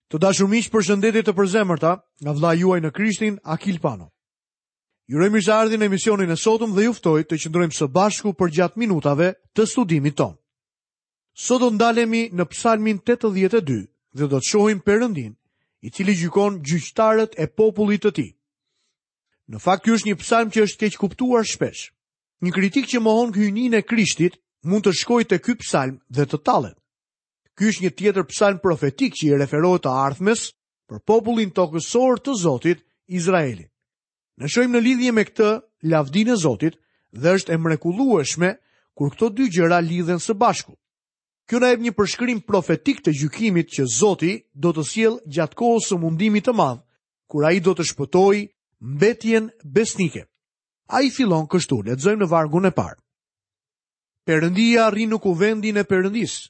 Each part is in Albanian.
Të dashur miq, përshëndetje të përzemërta nga vëllai juaj në Krishtin, Akil Pano. Ju uroj mirëseardhjen në emisionin e sotëm dhe ju ftoj të qëndrojmë së bashku përgjatë minutave të studimit tonë. Sot do të ndalemi në Psalmin 82 dhe do të shohim Perëndinë, i cili gjykon gjyqtarët e popullit të tij. Në fakt ky është një psalm që është keqkuptuar shpesh. Një kritik që mohon hyjninë e Krishtit mund të shkojë te ky psalm dhe të tallet. Ky është një tjetër psalm profetik që i referohet të ardhmes për popullin tokësor të Zotit, Izraelin. Ne shohim në lidhje me këtë lavdinë e Zotit dhe është e mrekullueshme kur këto dy gjëra lidhen së bashku. Kjo na jep një përshkrim profetik të gjykimit që Zoti do të sjellë gjatë kohës së mundimit të madh, kur ai do të shpëtojë mbetjen besnike. Ai fillon kështu, lexojmë në vargun e parë. Perëndia rri në kuvendin e Perëndisë.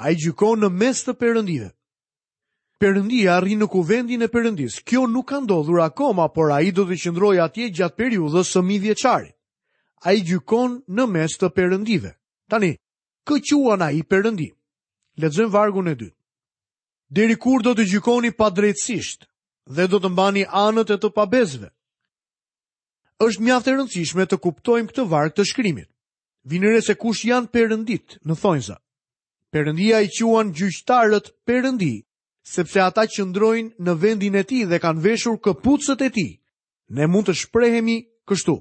Ai gjykon në mes të perëndive. Perëndia rri në kuvendin e Perëndisë. Kjo nuk ka ndodhur akoma, por ai do të qëndrojë atje gjatë periudhës së mijëvjeçarit. Ai gjykon në mes të perëndive. Tani, kë quan ai perëndi? Lexojmë vargun e dytë. Deri kur do të gjykoni padrejtësisht dhe do të mbani anët e të pabesëve? Është mjaft e rëndësishme të kuptojmë këtë varg të shkrimit. Vini re se kush janë perënditë në thonjza. Perëndia i quan gjyqtarët perëndi, sepse ata qëndrojnë në vendin e tij dhe kanë veshur këpucët e tij. Ne mund të shprehemi kështu.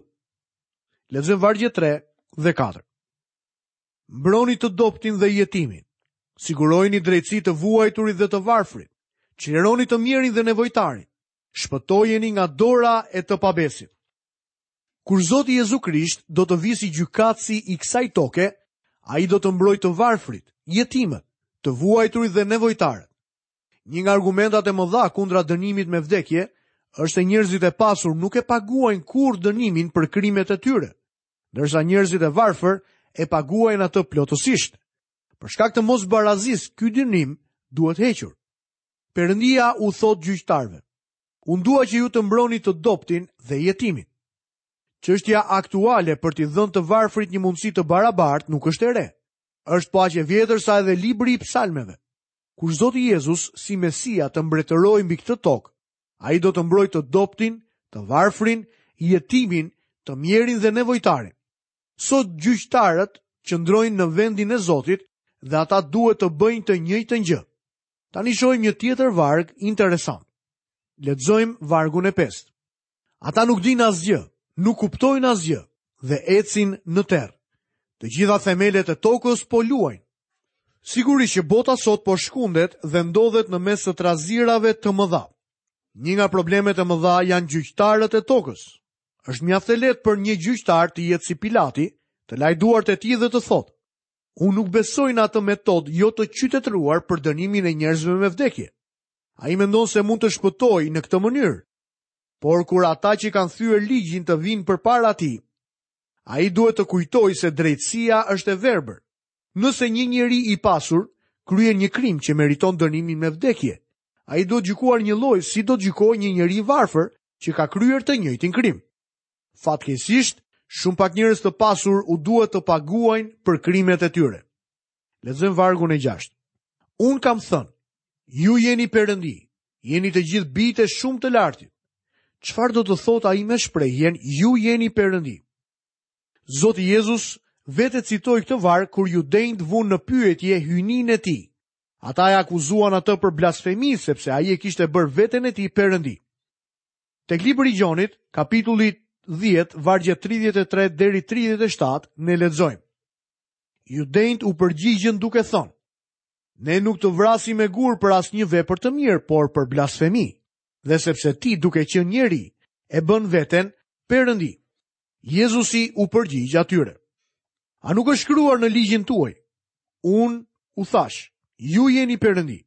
Lexojmë vargjet 3 dhe 4. Mbroni të dobëtin dhe jetimin. Sigurojini drejtësi të vuajturit dhe të varfrit. Çlironi të mjerin dhe nevojtarin. Shpëtojeni nga dora e të pabesit. Kur Zoti Jezu Krisht do të vijë si gjykatësi i kësaj toke, ai do të mbrojë të varfrit, jetimët, të vuajturit dhe nevojtarët. Një nga argumentat e mëdha kundra dënimit me vdekje është se njerëzit e pasur nuk e paguajnë kurrë dënimin për krimet e tyre, ndërsa njerëzit e varfër e paguajnë atë plotësisht. Për shkak të mosbarazisë, ky dënim duhet hequr. Perëndia u thotë gjyqtarëve: Unë dua që ju të mbroni të dobëtin dhe jetimin. Çështja aktuale për t'i dhënë të varfrit një mundësi të barabartë nuk është e re. Është po aq e vjetër sa edhe libri i psalmeve. Kur Zoti Jezus si Mesia të mbretërojë mbi këtë tokë, ai do të mbrojë të dobëtin, të varfrin, jetimin, të mjerin dhe nevojtarin. Sot gjyqtarët qëndrojnë në vendin e Zotit dhe ata duhet të bëjnë të njëjtën gjë. Tani shohim një tjetër varg interesant. Lexojmë vargun e pestë. Ata nuk dinë asgjë, nuk kuptojnë asgjë dhe ecin në terr. Të gjitha themelet e tokës po luajnë. Sigurisht që bota sot po shkundet dhe ndodhet në mes të trazirave të mëdha. Një nga problemet e mëdha janë gjyqtarët e tokës. Është mjaft e lehtë për një gjyqtar të jetë si Pilati, të lajë duart e tij dhe të thotë: Unë nuk besoj në atë metodë jo të qytetëruar për dënimin e njerëzve me vdekje. Ai mendon se mund të shpëtojë në këtë mënyrë. Por kur ata që kanë thyer ligjin të vijnë përpara tij, ai duhet të kujtojë se drejtësia është e verbër. Nëse një njeri i pasur kryen një krim që meriton dënimin me vdekje, ai duhet gjykuar njëlloj si do të gjykohej një njeri i varfër që ka kryer të njëjtin krim. Fatkeqësisht, shumë pak njerëz të pasur u duhet të paguajnë për krimet e tyre. Lexojmë vargun e 6. Unë kam thënë, ju jeni perëndi, jeni të gjithë bijtë e shumë të lartit. Çfarë do të thotë ai me shprehjen ju jeni perëndi? Zoti Jezus vetë e citoi këtë varg kur judenjtë vunë në pyetje hyjninë e tij. Ata e akuzuan atë për blasfemi sepse ai e kishte bërë veten e tij perëndi. Tek libri i Gjonit, kapitulli 10, vargjet 33 deri 37, ne lexojmë. Judenjtë u përgjigjën duke thënë: Ne nuk të vrasim me gurë për asnjë vepër të mirë, por për blasfemi, dhe sepse ti duke qenë njeri, e bën veten perëndi. Jezusi u përgjigj atyre. A nuk është shkruar në ligjin tuaj? Unë u thashë, ju jeni perëndi.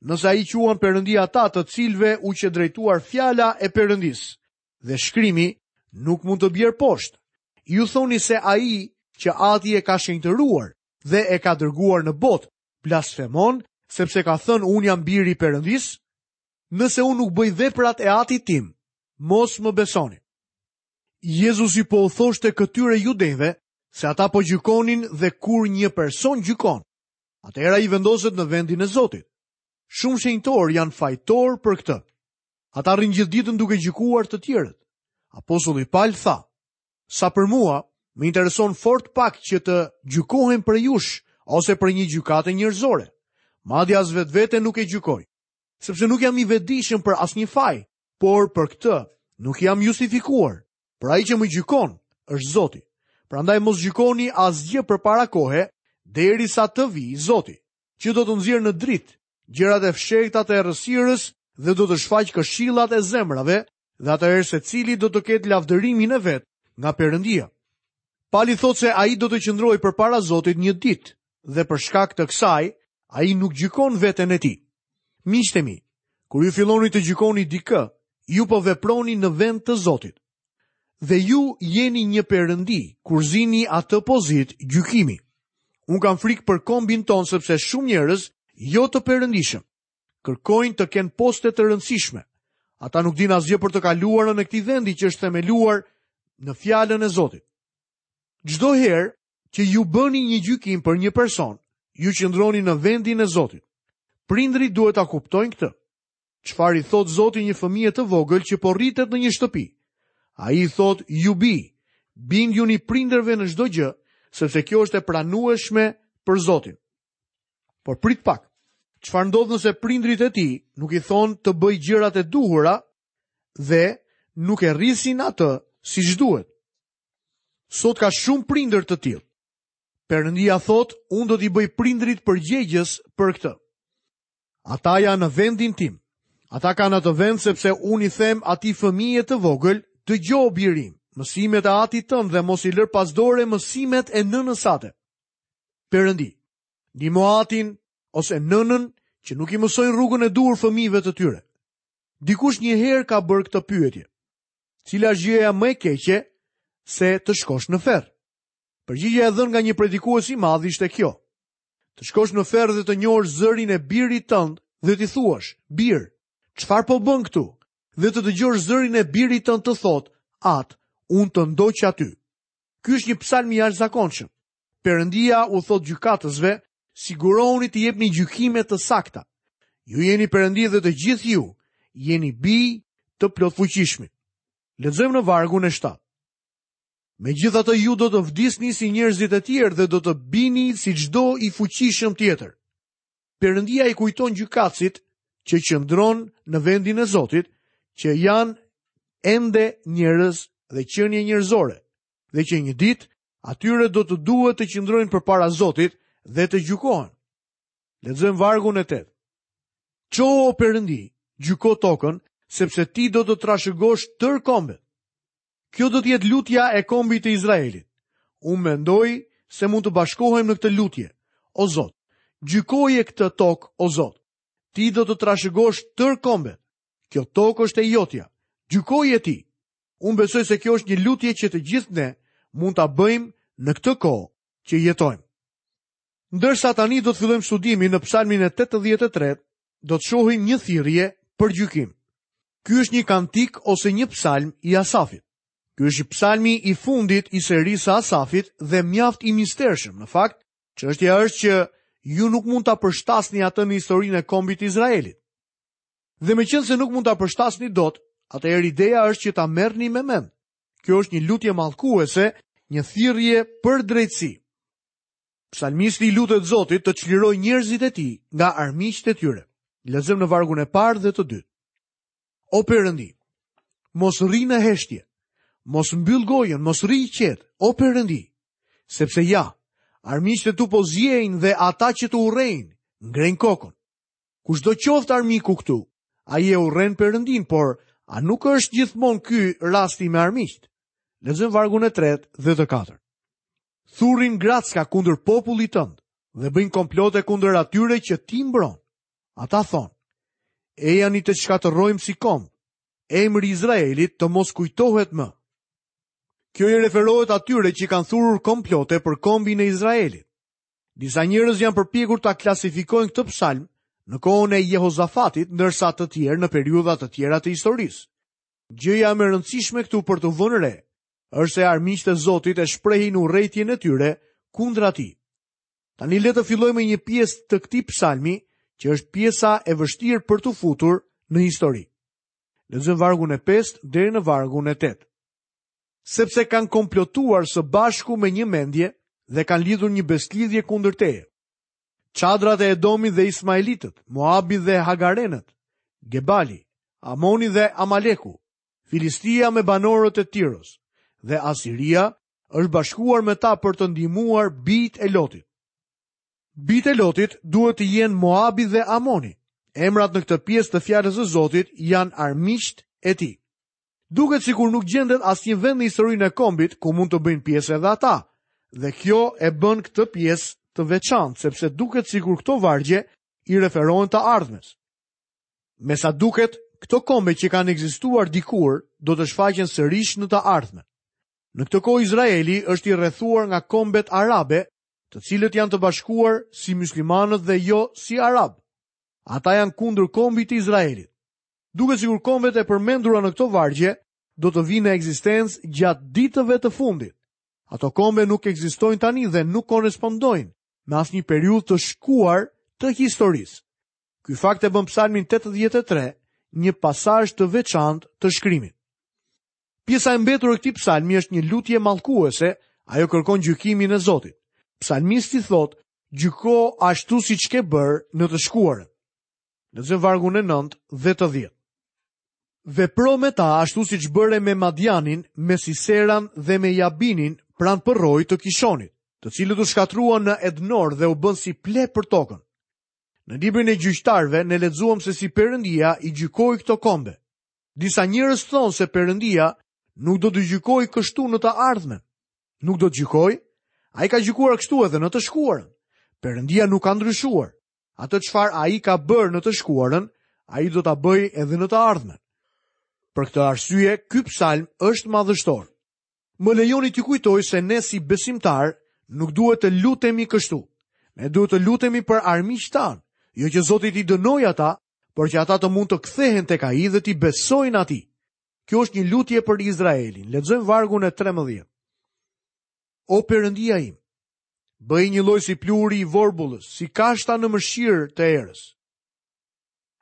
Nëse ai quan perëndi ata të cilëve u qe drejtuar fjala e perëndisë, dhe shkrimi nuk mund të bjerë poshtë. Ju thoni se ai që ati e ka shenjtëruar dhe e ka dërguar në botë, blasfemon, sepse ka thënë unë jam biri i perëndisë? Nëse unë nuk bëj veprat e atit tim, mos më besoni. Jezusi po u thoshte këtyre judenjve se ata po gjykonin dhe kur një person gjykon, atëherë ai vendoset në vendin e Zotit. Shumë shenjtorë janë fajtorë për këtë. Ata rrinë gjithë ditën duke gjykuar të tjerët. Apostulli Pal tha, sa për mua, më intereson fort pak që të gjykohem prej jush ose prej një gjykate njerëzore. Madje as vetveten nuk e gjykoj, sepse nuk jam i vetëdijshëm për asnjë faj, por për këtë nuk jam justifikuar. Por ai që më gjykon është Zoti. Prandaj mos gjykoni asgjë përpara kohe, derisa të vijë Zoti, që do të nxjerrë në dritë gjërat e fshehta të errësirës dhe do të shfaqë këshillat e zemrave, dhe atëherë secili do të ketë lavdërimin e vet nga Perëndia. Pali thotë se ai do të qëndrojë përpara Zotit një ditë dhe për shkak të kësaj ai nuk gjykon veten e tij. Miqtë e mi, kur ju filloni të gjykoni dikë, ju po veproni në vend të Zotit. Dhe ju jeni një perëndi kur zini atë pozitë gjykimi. Unë kam frikë për kombin tonë sepse shumë njerëz jo të perëndishëm kërkojnë të kenë poste të rëndësishme. Ata nuk dinë asgjë për të kaluarën e këtij vendi që është themeluar në fjalën e Zotit. Çdo herë që ju bëni një gjykim për një person, ju qëndroni në vendin e Zotit. Prindërit duhet ta kuptojnë këtë. Çfarë i thotë Zoti një fëmije të vogël që po rritet në një shtëpi? Ai i thotë ju bij, bindjuni prindërve në çdo gjë, sepse kjo është e pranueshme për Zotin. Por prit pak. Çfarë ndodh nëse prindërit e tij nuk i thonë të bëjë gjërat e duhura dhe nuk e rrisin atë siç duhet? Sot ka shumë prindër të tillë. Perëndia thotë, unë do t'i bëj prindërit përgjegjës për këtë. Ata janë në vendin tim. Ata kanë atë vend sepse unë i them atij fëmije të vogël, dëgjo bir im, mësimet e atit tënd dhe mos i lër pas dore mësimet e nënës sate. Perëndi, ndihmo atin ose nënën që nuk i mësojnë rrugën e duhur fëmijëve të tyre. Dikush një herë ka bërë këtë pyetje. Cila është gjëja më e keqe se të shkosh në ferr? Përgjigja e dhënë nga një predikues i madh ishte kjo. Të shkosh në ferr dhe të njohësh zërin e birit tënd dhe t'i thuash, bir, çfarë po bën këtu? Dhe të dëgjosh zërin e birit tënd të thotë, atë, unë të ndoqa ty. Ky është një psalm i jashtëzakonshëm. Perëndia u thotë gjykatësve, sigurohuni të jepni gjykime të sakta. Ju jeni perëndi dhe të gjithë ju jeni bij të plotfuqishmit. Lexojmë në vargun e 7. Megjithatë ju do të vdisni si njerëzit e tjerë dhe do të bini si çdo i fuqishëm tjetër. Perëndia i kujton gjykatësit që qëndron në vendin e Zotit, që janë ende njerëz dhe qenie njerëzore, dhe që një ditë atyre do të duhet të qëndrojnë përpara Zotit dhe të gjykohen. Lexojmë vargun e 8. Çohu o Perëndi, gjyko tokën, sepse ti do të trashëgosh tërë kombet. Kjo do të jetë lutja e kombit të Izraelit. Unë mendoj se mund të bashkohem në këtë lutje. O Zot, gjykoje këtë tokë, o Zot. Ti do të trashëgosh tërë kombet. Kjo tokë është e jotja. Gjykoje ti. Unë besoj se kjo është një lutje që të gjithë ne mund ta bëjmë në këtë kohë që jetojmë. Ndërsa tani do të fillojmë studimin në Psalmin e 83, do të shohim një thirrje për gjykim. Ky është një kantik ose një psalm i Asafit. Ky është psalmi i fundit i serisë së Asafit dhe mjaft i mistershëm. Në fakt, çështja është që ju nuk mund ta përshtasni atë në historinë e kombit të Izraelit. Dhe meqenëse nuk mund ta përshtasni dot, atëherë ideja është që ta merrni me mend. Kjo është një lutje mallkuese, një thirrje për drejtësi. Psalmisti i lutet Zotit të çlirojë njerëzit e tij nga armiqtë e tyre. Lexojmë në vargun e parë dhe të dytë. O Perëndi, mos rri në heshtje, mos mbyll gojën, mos rri i qetë, o Perëndi, sepse ja, armiqtë e tu po ziejnë dhe ata që të urrejnë, ngrejnë kokën. Kushdo qoftë armiku këtu, ai e urren Perëndinë, por a nuk është gjithmonë ky rasti me armiqtë? Lexojmë vargun e tretë dhe të katërt. Thurin gracka kundër popullit tënd dhe bëjnë komplote kundër atyre që ti mbron. Ata thonë, ejani të shkatërrojmë si komb, emri i Izraelit të mos kujtohet më. Kjo i referohet atyre që kanë thurur komplote për kombin e Izraelit. Disa njerëz janë përpjekur ta klasifikojnë këtë psalm në kohën e Jehozafatit, ndërsa të tjerë në periudha të tjera të historisë. Gjëja më e rëndësishme këtu për t'u vënë re është se armiqtë e Zotit e shprehin urrejtjen e tyre kundra tij. Tani le të fillojmë me një pjesë të këtij psalmi që është pjesa e vështirë për t'u futur në histori. Lexojmë vargun e 5 deri në vargun e 8. Sepse kanë komplotuar së bashku me një mendje dhe kanë lidhur një besëlidhje kundër teje. Çadrat e Edomit dhe Ismaelitët, Moabi dhe Hagarenët, Gebali, Amoni dhe Amaleku, Filistia me banorët e Tiros dhe Asiria është bashkuar me ta për të ndihmuar bijtë e Lotit. Bijtë e Lotit duhet të jenë Moabi dhe Amoni. Emrat në këtë pjesë të fjalës së Zotit janë armiqtë e tij. Duket sikur nuk gjendet asnjë vend në historinë e kombit ku mund të bëjnë pjesë edhe ata. Dhe kjo e bën këtë pjesë të veçantë, sepse duket sikur këto vargje i referohen të ardhmes. Me sa duket, këto kombe që kanë ekzistuar dikur do të shfaqen sërish në të ardhmen. Në këtë kohë Izraeli është i rrethuar nga kombet arabe, të cilët janë të bashkuar si myslimanët dhe jo si arabë. Ata janë kundër kombit të Izraelit. Duket sikur kombet e përmendura në këto vargje do të vijnë në ekzistencë gjatë ditëve të fundit. Ato kombe nuk ekzistojnë tani dhe nuk korrespondojnë me asnjë periudhë të shkuar të historisë. Ky fakt e bën Psalmin 83 një pasazh të veçantë të shkrimit. Pjesa e mbetur e këtij psalmi është një lutje mallkuese, ajo kërkon gjykimin e Zotit. Psalmisti thotë, gjyko ashtu siç ke bërë në të shkuarën. Lexojmë vargun e 9 dhe të 10. Vepro me ta ashtu siç bëre me Madianin, me Siseran dhe me Jabinin pranë përroit të Kishonit, të cilët u shkatërruan në Ednor dhe u bënë si pleh për tokën. Në librin e gjyqtarëve ne lexuam se si Perëndia i gjykoi këto kombe. Disa njerëz thonë se Perëndia nuk do të gjykojë kështu në të ardhmen. Nuk do të gjykojë? Ai ka gjykuar kështu edhe në të shkuarën. Perëndia nuk ka ndryshuar. Atë çfarë ai ka bërë në të shkuarën, ai do ta bëjë edhe në të ardhmen. Për këtë arsye, ky psalm është madhështor. Më lejoni t'ju kujtoj se ne si besimtarë nuk duhet të lutemi kështu. Ne duhet të lutemi për armiqtë tanë, jo që Zoti t'i dënojë ata, por që ata të mund të kthehen tek ai dhe t'i besojnë atij. Kjo është një lutje për Izraelin. Lexojmë vargun e 13. O Perëndia im, bëji njëlloj si pluhuri i vorbullës, si kashta në mëshirë të erës.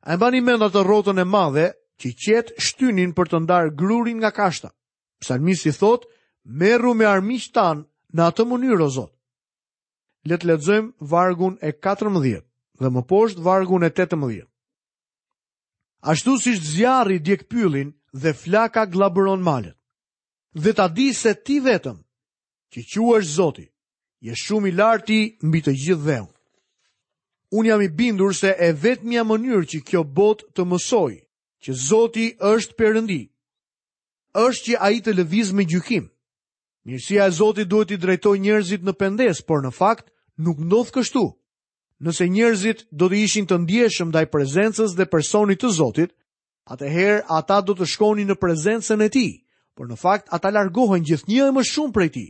A e mbani mend atë rrotën e madhe që qetë shtynin për të ndarë grurin nga kashta? Psalmisti thotë, merru me armiqtë tanë në atë mënyrë, o Zot. Le të lexojmë vargun e 14 dhe më poshtë vargun e 18. Ashtu siç zjarri djeg pyllin dhe flaka gllabëron malet. Dhe ta dijë se ti vetëm, që quhesh Zoti, je shumë i larti mbi të gjithë dheun. Unë jam i bindur se e vetmja mënyrë që kjo botë të mësojë që Zoti është Perëndi, është që ai të lëvizë me gjykim. Mirësia e Zotit duhet t'i drejtojë njerëzit në pendesë, por në fakt nuk ndodh kështu. Nëse njerëzit do të ishin të ndjeshëm ndaj prezencës dhe personit të Zotit, atëherë ata do të shkonin në prezencën e tij, por në fakt ata largohen gjithnjë e më shumë prej tij.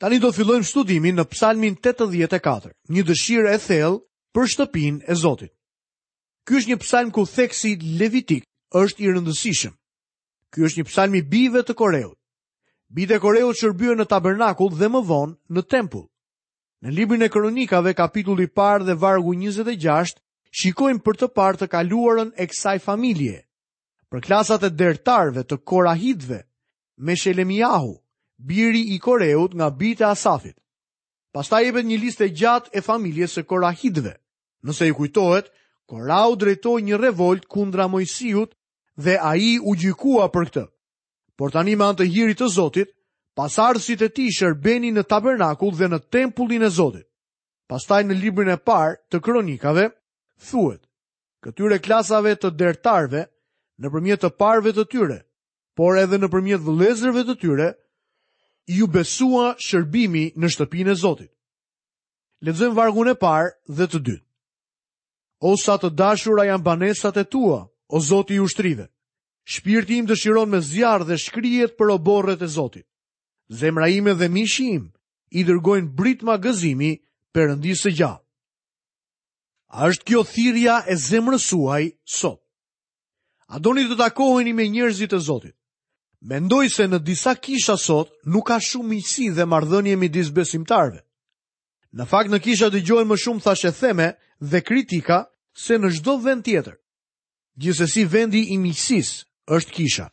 Tani do të fillojmë studimin në Psalmin 84, një dëshirë e thellë për shtëpinë e Zotit. Ky është një psalm ku theksi levitik është i rëndësishëm. Ky është një psalm i bijve të Koreut. Bijtë e Koreut shërbyen në tabernakull dhe më vonë në tempull. Në librin e Kronikave, kapitulli i parë dhe vargu 26, shikojmë për të parë të kaluarën e kësaj familje. Për klasat e dertarëve të Korahitëve, Meshelemiahu, biri i Koreut nga bijtë e Asafit. Pastaj jepet një listë e gjatë e familjes së Korahitëve. Nëse ju kujtohet, Korahu drejtoi një revoltë kundra Moisiut dhe ai u gjykua për këtë. Por tani me anë të hirit të Zotit, pasardhësit e tij shërbenin në tabernakull dhe në tempullin e Zotit. Pastaj në librin e parë të kronikave thuhet: Këtyre klasave të dertarëve, nëpërmjet të parëve të tyre, por edhe nëpërmjet vëllezërve të tyre, iu besua shërbimi në shtëpinë e Zotit. Lexojmë vargun e parë dhe të dytë. O sa të dashura janë banesat e tua, o Zoti i ushtrive. Shpirti im dëshiron me zjarr dhe shkrihet për oborret e Zotit. Zemra ime dhe mishi im i dërgojnë britma gëzimi Perëndisë së gjallë. A është kjo thirrja e zemrës suaj sot? A doni të takoheni me njerëzit e Zotit? Mendoj se në disa kisha sot nuk ka shumë miqësi dhe marrëdhënie midis besimtarëve. Në fakt në kisha dëgjohen më shumë thashetheme dhe kritika. se në çdo vend tjetër. Gjithsesi vendi i miqësisë është kisha.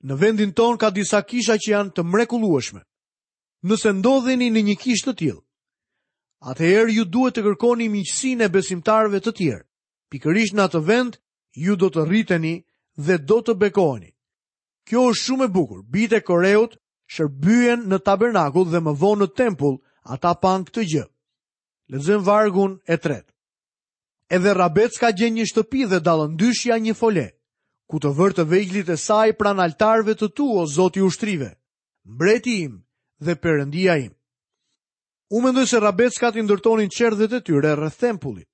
Në vendin tonë ka disa kisha që janë të mrekullueshme. Nëse ndodheni në një kishë të tillë, atëherë ju duhet të kërkoni miqësinë e besimtarëve të tjerë. Pikërisht në atë vend ju do të rriteni dhe do të bekoheni. Kjo është shumë e bukur. Bijtë e Koreut shërbyen në tabernakull dhe më vonë në tempull, ata panë këtë gjë. Lexojmë vargun e tretë. Edhe rrabecka gjen një shtëpi dhe dallëndyshja një fole, ku të vërë të vegjlit e saj pranë altarëve të tu, o Zoti i ushtrive, mbreti im dhe perëndia im. Unë mendoj se rrabeckat i ndërtonin çerdhet e tyre rreth tempullit.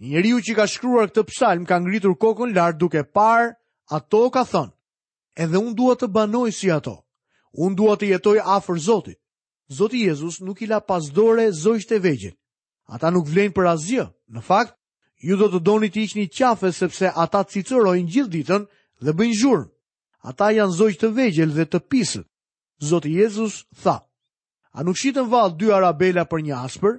Njeriu që ka shkruar këtë psalm ka ngritur kokën lart duke parë ato ka thënë, edhe unë dua të banoj si ato. Unë dua të jetoj afër Zotit. Zoti Jezus nuk i la pas dore zogjtë e vegjël. Ata nuk vlejnë për asgjë. Në fakt, ju do të doni t'i hiqni qafe sepse ata cicërojnë gjithë ditën dhe bëjnë zhurmë. Ata janë zogj të vegjël dhe të pisët. Zoti Jezus tha: A nuk shiten vallë dy arabela për një aspër?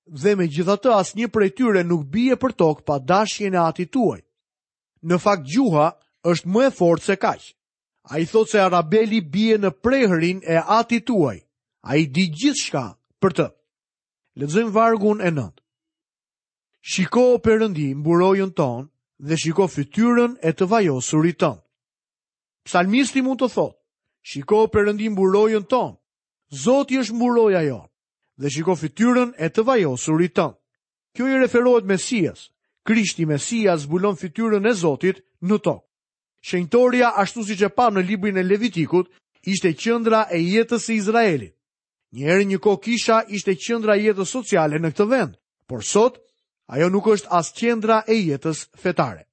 Dhe megjithatë asnjë prej tyre nuk bie për tokë pa dashjen e Atit tuaj. Në fakt gjuha është më e fortë se kaq. Ai thotë se arabeli bie në prehrin e Atit tuaj. Ai di gjithçka për të. Lexojmë vargun e 9. Shiko o Perëndi mburojën tonë dhe shiko fytyrën e të vajosurit tënd. Psalmisti mund të thotë, shiko o Perëndi mburojën tonë. Zoti është mburoja jonë. Dhe shiko fytyrën e të vajosurit tënd. Kjo i referohet Mesias. Krishti Mesia zbulon fytyrën e Zotit në tokë. Shenjtoria, ashtu siç e pamë në librin e Levitikut, ishte qendra e jetës së Izraelit. Një herë një kohë kisha ishte qendra e jetës sociale në këtë vend, por sot ajo nuk është as qendra e jetës fetare.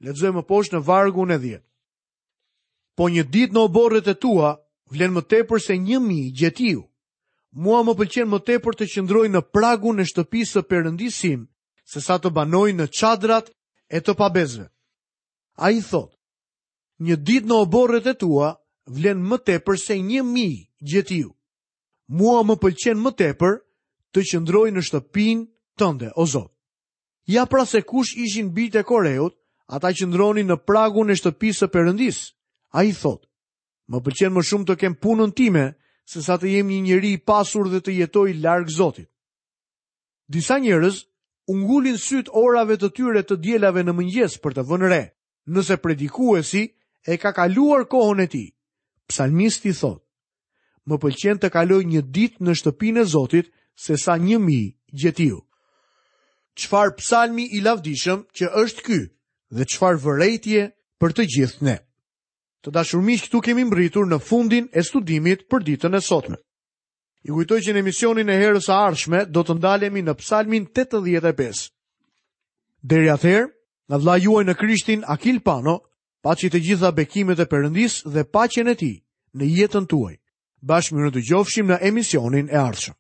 Lexojmë më poshtë në vargun e 10. Po një ditë në oborret e tua vlen më tepër se 1000 gjetiu. Mua më pëlqen më tepër të qëndroj në pragun e shtëpisë së Perëndisë sim, sesa të banoj në çadrat e të pabesëve. Ai thotë, një ditë në oborret e tua vlen më tepër se 1000 gjetiu. Mua më pëlqen më tepër të qëndroj në shtëpinë tënde, o Zot. Ja pra se kush ishin bijtë e Koreut, ata qëndronin në pragun e shtëpisë së Perëndisë. Ai thotë, më pëlqen më shumë të kem punën time, sesa të jem një njeri i pasur dhe të jetoj larg Zotit. Disa njerëz u ngulin sytë orave të tyre të dielave në mëngjes për të vënë re, nëse predikuesi e ka kaluar kohën e tij. Psalmisti thotë, më pëlqen të kaloj një ditë në shtëpinë e Zotit sesa 1000 gjetiu. Çfarë psalmi i lavdishëm që është ky dhe çfarë vërejtje për të gjithë ne. Të dashur miq, këtu kemi mbërritur në fundin e studimit për ditën e sotme. Ju kujtoj që në emisionin e herës së ardhshme do të ndalemi në Psalmin 85. Deri atëherë, nga vëllai juaj në Krishtin Akil Pano, paçi të gjitha bekimet e Perëndisë dhe paqen e tij në jetën tuaj. Bashkë mirudëgjofshim në emisionin e ardhshëm.